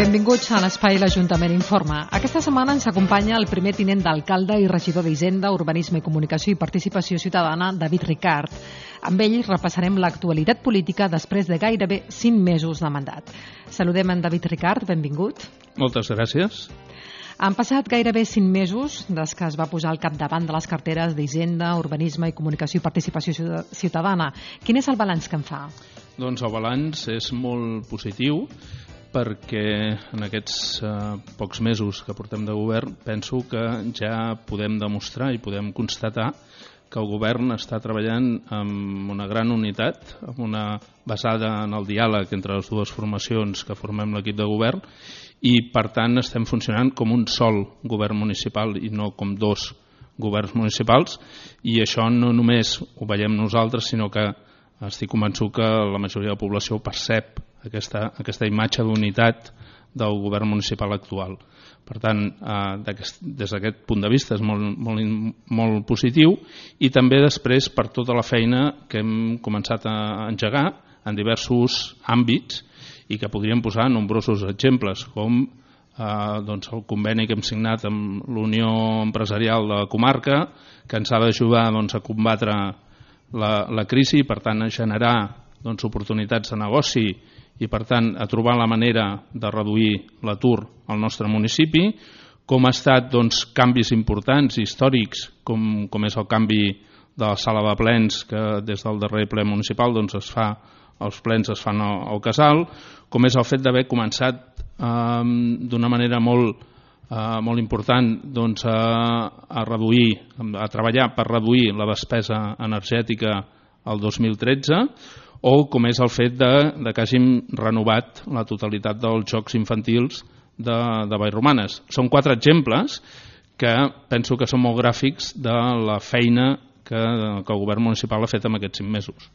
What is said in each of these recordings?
Benvinguts a l'Espai l'Ajuntament Informa. Aquesta setmana ens acompanya el primer tinent d'alcalde i regidor d'Hisenda, Urbanisme i Comunicació i Participació Ciutadana, David Ricart. Amb ell repassarem l'actualitat política després de gairebé 5 mesos de mandat. Saludem en David Ricart, benvingut. Moltes gràcies. Han passat gairebé 5 mesos des que es va posar al capdavant de les carteres d'Hisenda, Urbanisme i Comunicació i Participació Ciutadana. Quin és el balanç que en fa? Doncs el balanç és molt positiu, perquè en aquests pocs mesos que portem de govern penso que ja podem demostrar i podem constatar que el govern està treballant amb una gran unitat, basada en el diàleg entre les dues formacions que formem l'equip de govern, i per tant estem funcionant com un sol govern municipal i no com dos governs municipals, i això no només ho veiem nosaltres, sinó que estic convençut que la majoria de la població percep aquesta imatge d'unitat del govern municipal actual. Per tant, des d'aquest punt de vista és molt positiu, i també després per tota la feina que hem començat a engegar en diversos àmbits i que podríem posar nombrosos exemples, com el conveni que hem signat amb l'Unió Empresarial de la comarca, que ens ha d'ajudar a combatre la crisi i per tant a generar oportunitats de negoci i per tant a trobar la manera de reduir l'atur al nostre municipi, com ha estat canvis importants i històrics com és el canvi de la sala de plens, que des del darrer ple municipal els plens es fan al casal, com és el fet d'haver començat d'una manera molt important a treballar per reduir la despesa energètica el 2013, o com és el fet que hàgim renovat la totalitat dels jocs infantils de Vallromanes. Són 4 exemples que penso que són molt gràfics de la feina que el govern municipal ha fet en aquests 5 mesos.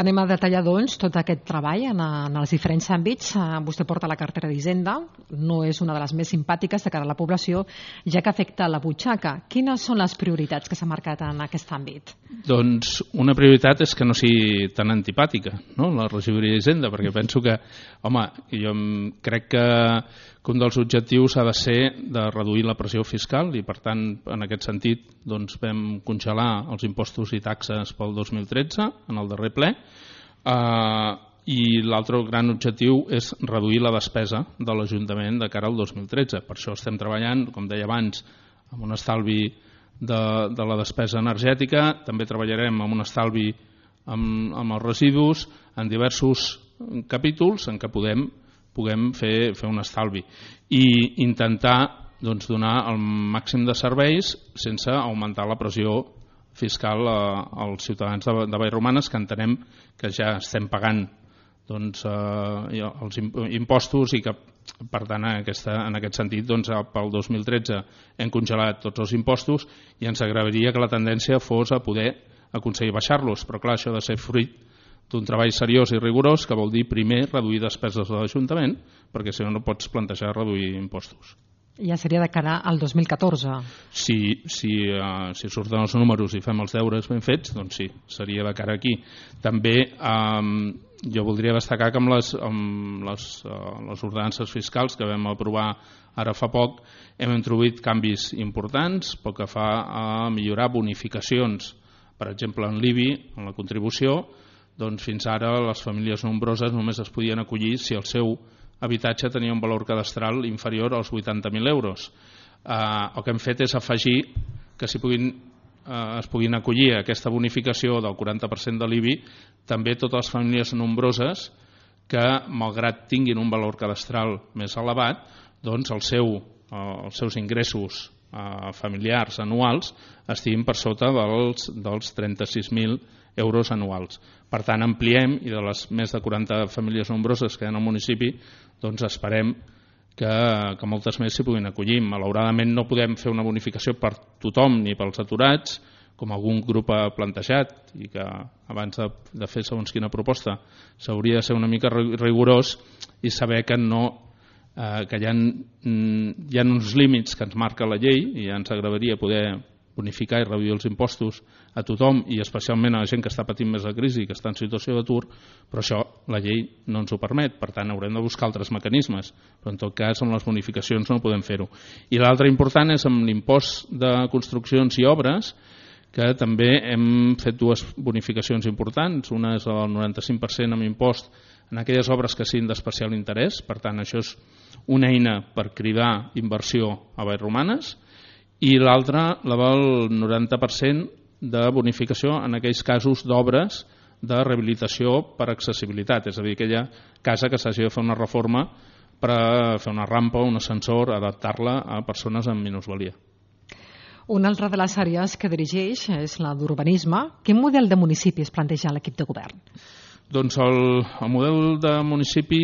Anem a detallar, doncs, tot aquest treball en els diferents àmbits. Vostè porta la cartera d'Hisenda, no és una de les més simpàtiques de cara a la població, ja que afecta la butxaca. Quines són les prioritats que s'ha marcat en aquest àmbit? Doncs una prioritat és que no sigui tan antipàtica, no?, la regidoria d'Hisenda, perquè penso que, jo crec que un dels objectius ha de ser de reduir la pressió fiscal i, per tant, en aquest sentit, vam congelar els impostos i taxes pel 2013, en el darrer ple, i l'altre gran objectiu és reduir la despesa de l'Ajuntament de cara al 2013. Per això estem treballant, com deia abans, amb un estalvi de la despesa energètica, també treballarem amb un estalvi amb els residus, en diversos capítols en què puguem fer un estalvi i intentar donar el màxim de serveis sense augmentar la pressió fiscal als ciutadans de Vallromanes, que entenem que ja estem pagant els impostos i que, per tant, en aquest sentit, pel 2013 hem congelat tots els impostos i ens agradaria que la tendència fos a poder aconseguir baixar-los, però clar, això ha de ser fruit d'un treball seriós i rigorós, que vol dir primer reduir despeses de l'Ajuntament, perquè si no pots plantejar reduir impostos. Ja seria de cara al 2014. Si surten els números i fem els deures ben fets, doncs sí, seria de cara aquí. També jo voldria destacar que amb les ordenances fiscals que vam aprovar ara fa poc hem introduït canvis importants pel que fa a millorar bonificacions, per exemple en l'IBI, en la contribució. Doncs fins ara les famílies nombroses només es podien acollir si el seu habitatge tenia un valor cadastral inferior als 80.000 euros. El que hem fet és afegir que es puguin acollir a aquesta bonificació del 40% de l'IBI també totes les famílies nombroses que, malgrat tinguin un valor cadastral més elevat, doncs els seus ingressos familiars anuals estiguin per sota dels 36.000 euros anuals. Per tant, ampliem, i de les més de 40 famílies nombroses que hi ha al municipi, doncs esperem que moltes més s'hi puguin acollir. Malauradament no podem fer una bonificació per tothom ni pels aturats, com algun grup ha plantejat, i que abans de fer segons quina proposta s'hauria de ser una mica rigorós i saber que hi ha uns límits que ens marca la llei, i ens agradaria poder bonificar i reduir els impostos a tothom i especialment a la gent que està patint més la crisi i que està en situació d'atur, però això la llei no ens ho permet, per tant haurem de buscar altres mecanismes, però en tot cas amb les bonificacions no podem fer-ho. I l'altre important és amb l'impost de construccions i obres, que també hem fet dues bonificacions importants. Una és el 95% amb impost en aquelles obres que siguin d'especial interès, per tant això és una eina per cridar inversió a Vallromanes, i l'altra la del 90% de bonificació en aquells casos d'obres de rehabilitació per accessibilitat, és a dir, aquella casa que s'hagi de fer una reforma per fer una rampa, un ascensor, adaptar-la a persones amb minusvalia. Una altra de les àrees que dirigeix és la d'urbanisme. Quin model de municipi es planteja l'equip de govern? Doncs el model de municipi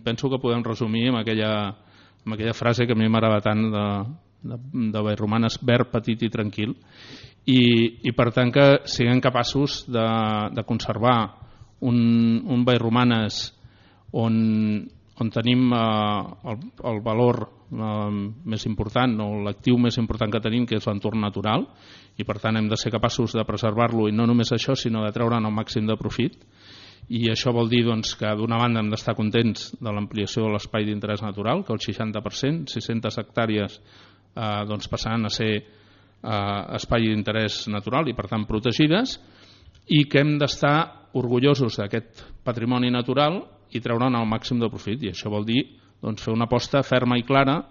penso que podem resumir amb aquella frase que a mi m'agrada tant de Vallromanes: verd, petit i tranquil, i per tant que siguem capaços de conservar un Vallromanes on tenim el valor més important o l'actiu més important que tenim, que és l'entorn natural, i per tant hem de ser capaços de preservar-lo, i no només això, sinó de treure'n el màxim de profit. I això vol dir que d'una banda hem d'estar contents de l'ampliació de l'espai d'interès natural, que el 60%, 600 hectàrees passaran a ser espai d'interès natural i per tant protegides, i que hem d'estar orgullosos d'aquest patrimoni natural i treure'n el màxim de profit. I això vol dir fer una aposta ferma i clara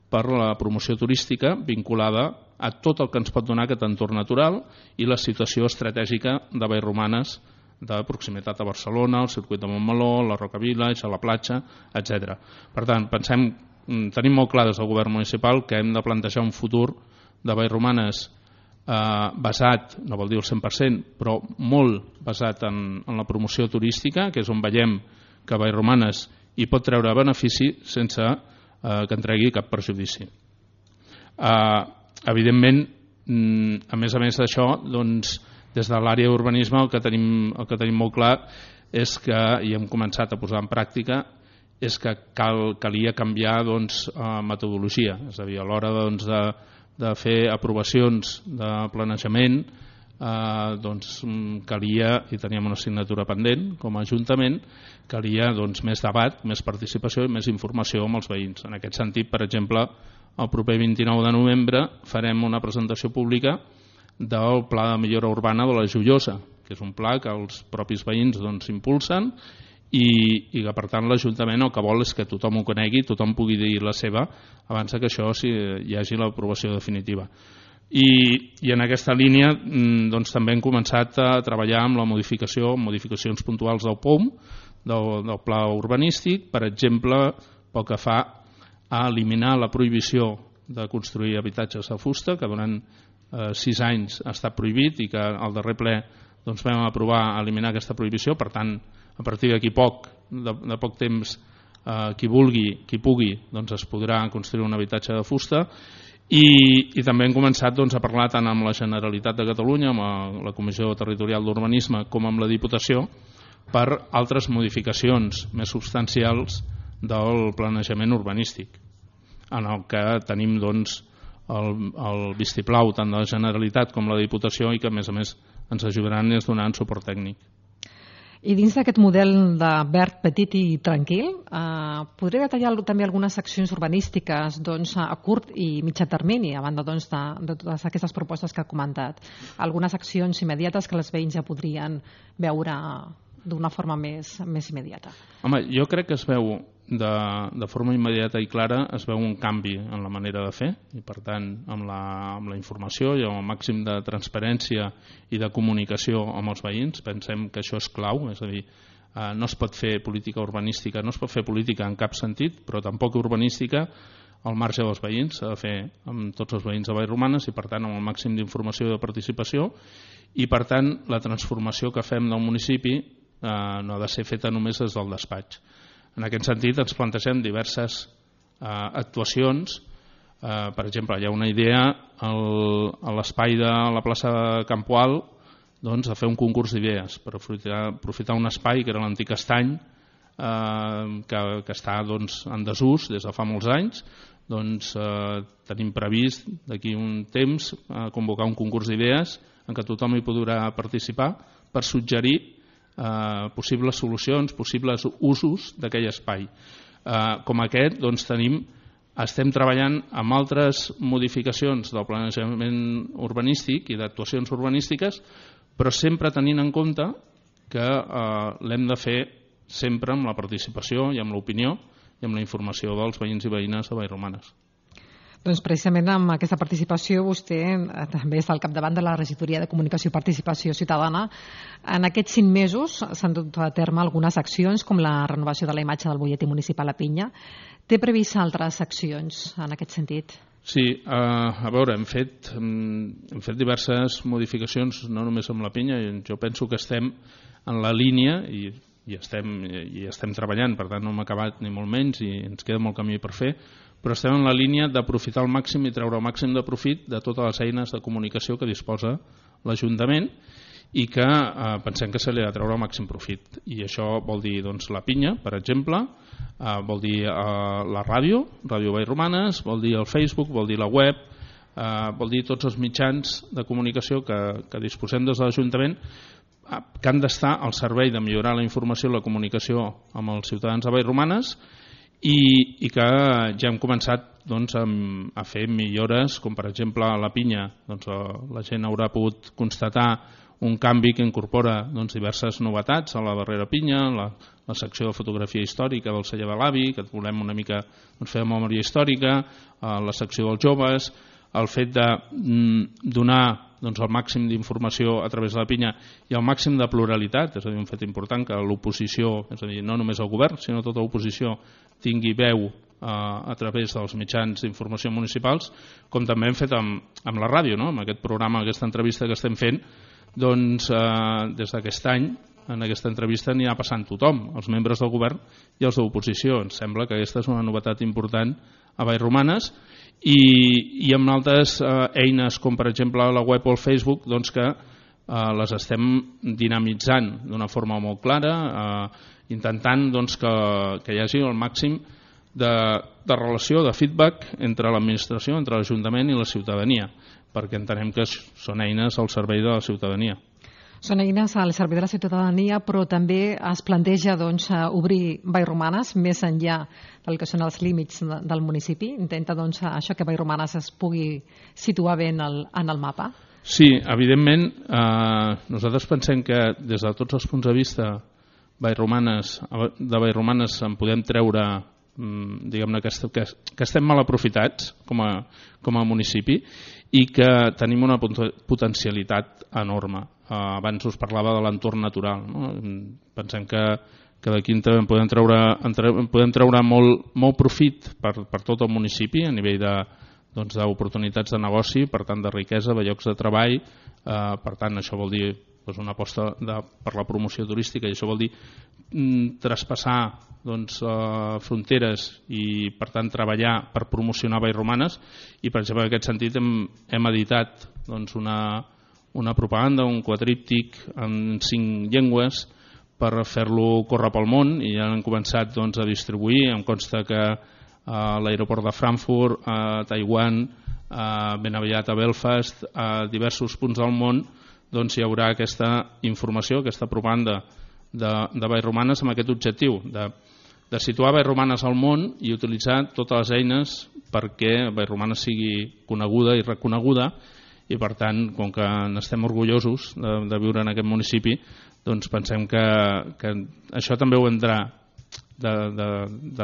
per la promoció turística vinculada a tot el que ens pot donar aquest entorn natural i la situació estratègica de Vallromanes, de proximitat a Barcelona, el circuit de Montmeló, la Roca Village, a la platja, etc. Per tant, tenim molt clar des del govern municipal que hem de plantejar un futur de Vallromanes basat, no vol dir el 100%, però molt basat en la promoció turística, que és on veiem que Vallromanes hi pot treure benefici sense que en tregui cap perjudici. Evidentment, a més d'això, des de l'àrea d'urbanisme el que tenim molt clar és que, i hem començat a posar en pràctica, és que calia canviar metodologia, és a dir, a l'hora de fer aprovacions de planejament calia, i teníem una assignatura pendent com a Ajuntament, calia més debat, més participació i més informació amb els veïns. En aquest sentit, per exemple, el proper 29 de novembre farem una presentació pública del Pla de Millora Urbana de la Joiosa, que és un pla que els propis veïns impulsen i que per tant l'Ajuntament el que vol és que tothom ho conegui, tothom pugui dir la seva abans que això hi hagi l'aprovació definitiva. I en aquesta línia també hem començat a treballar amb la modificacions puntuals del POUM, del pla urbanístic, per exemple, pel que fa a eliminar la prohibició de construir habitatges de fusta, que durant 6 anys ha estat prohibit i que al darrer ple vam aprovar eliminar aquesta prohibició. Per tant, a partir d'aquí de poc temps, qui pugui es podrà construir un habitatge de fusta. I també hem començat a parlar tant amb la Generalitat de Catalunya, amb la Comissió Territorial d'Urbanisme, com amb la Diputació, per altres modificacions més substancials del planejament urbanístic, en el que tenim el vistiplau tant de la Generalitat com la Diputació i que a més ens ajudaran i ens donaran suport tècnic. I dins d'aquest model de verd, petit i tranquil, podria detallar també algunes accions urbanístiques a curt i mitjà termini, a banda de totes aquestes propostes que ha comentat. Algunes accions immediates que els veïns ja podrien veure d'una forma més immediata. Home, jo crec que es veu de forma immediata i clara, es veu un canvi en la manera de fer i per tant amb la informació i amb el màxim de transparència i de comunicació amb els veïns. Pensem que això és clau, és a dir, no es pot fer política urbanística, no es pot fer política en cap sentit, però tampoc urbanística al marge dels veïns, s'ha de fer amb tots els veïns de Vallromanes i per tant amb el màxim d'informació i de participació, i per tant la transformació que fem del municipi no ha de ser feta només des del despatx. En aquest sentit ens plantegem diverses actuacions. Per exemple, hi ha una idea a l'espai de la plaça de Campoal a fer un concurs d'idees per aprofitar un espai que era l'antic estany que està en desús des de fa molts anys. Tenim previst d'aquí un temps convocar un concurs d'idees en què tothom hi podrà participar per suggerir possibles solucions, possibles usos d'aquell espai. Com aquest, doncs, estem treballant amb altres modificacions del planejament urbanístic i d'actuacions urbanístiques, però sempre tenint en compte que l'hem de fer sempre amb la participació i amb l'opinió i amb la informació dels veïns i veïnes de Vallromanes. Doncs precisament amb aquesta participació vostè també està al capdavant de la Regidoria de Comunicació i Participació Ciutadana. En aquests 5 mesos s'han dut a terme algunes accions com la renovació de la imatge del butlletí municipal a Pinya. Té previst altres accions en aquest sentit? Sí, a veure, hem fet diverses modificacions, no només amb la Pinya, jo penso que estem en la línia i estem treballant, per tant no hem acabat ni molt menys i ens queda molt camí per fer, però estem en la línia d'aprofitar al màxim i treure el màxim de profit de totes les eines de comunicació que disposa l'Ajuntament i que pensem que se li ha de treure el màxim profit. I això vol dir doncs, la Pinya, per exemple, vol dir la ràdio, Ràdio Vallromanes, vol dir el Facebook, vol dir la web, vol dir tots els mitjans de comunicació que disposem des de l'Ajuntament que han d'estar al servei de millorar la informació i la comunicació amb els ciutadans de Vallromanes i que ja hem començat doncs, a fer millores, com per exemple a la Pinya doncs, la gent haurà pogut constatar un canvi que incorpora doncs, diverses novetats a la darrera Pinya, la secció de fotografia històrica del celler de l'avi, que volem una mica doncs, fer memòria històrica, la secció dels joves, el fet de donar doncs, el màxim d'informació a través de la Pinya i el màxim de pluralitat, és a dir, un fet important que l'oposició, és a dir, no només el govern, sinó tota l'oposició tingui veu a través dels mitjans d'informació municipals, com també hem fet amb la ràdio, no? Amb aquest programa, aquesta entrevista que estem fent, doncs des d'aquest any en aquesta entrevista anirà passant tothom, els membres del govern i els de l'oposició. Ens sembla que aquesta és una novetat important a Vallromanes i amb altres eines com per exemple la web o el Facebook doncs que les estem dinamitzant d'una forma molt clara, intentant doncs, que hi hagi el màxim de relació, de feedback entre l'administració, entre l'Ajuntament i la ciutadania, perquè entenem que són eines al servei de la ciutadania. Són eines al servei de la ciutadania, però també es planteja doncs, obrir Vallromanes més enllà del que són els límits del municipi. Intenta doncs, això que Vallromanes es pugui situar bé en el mapa. Sí, evidentment, nosaltres pensem que des de tots els punts de vista de Vallromanes en podem treure diguem-ne que estem mal aprofitats com a municipi i que tenim una potencialitat enorme. Abans us parlava de l'entorn natural, no? Pensem que d'aquí en podem treure molt profit per tot el municipi a nivell d'oportunitats de negoci, per tant de riquesa, de llocs de treball, per tant això vol dir una aposta per la promoció turística i això vol dir traspassar fronteres i per tant treballar per promocionar Vallromanes i per exemple en aquest sentit hem editat una propaganda, un quadríptic en 5 llengües per fer-lo córrer pel món i ja han començat a distribuir. Em consta que a l'aeroport de Frankfurt, a Taiwan, ben aviat a Belfast, a diversos punts del món hi haurà aquesta informació, aquesta propaganda de Vallromanes amb aquest objectiu de situar Vallromanes al món i utilitzar totes les eines perquè Vallromanes sigui coneguda i reconeguda i per tant, com que n'estem orgullosos de viure en aquest municipi, doncs pensem que això també ho hem de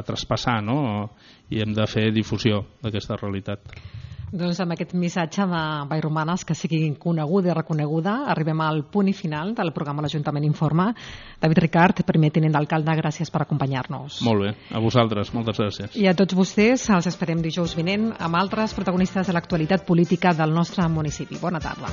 traspassar, no? I hem de fer difusió d'aquesta realitat. Doncs amb aquest missatge de Vallromanes que sigui coneguda i reconeguda arribem al punt i final del programa L'Ajuntament Informa. David Ricart, primer tinent d'alcalde, gràcies per acompanyar-nos. Molt bé, a vosaltres, moltes gràcies. I a tots vostès els esperem dijous vinent amb altres protagonistes de l'actualitat política del nostre municipi. Bona tarda.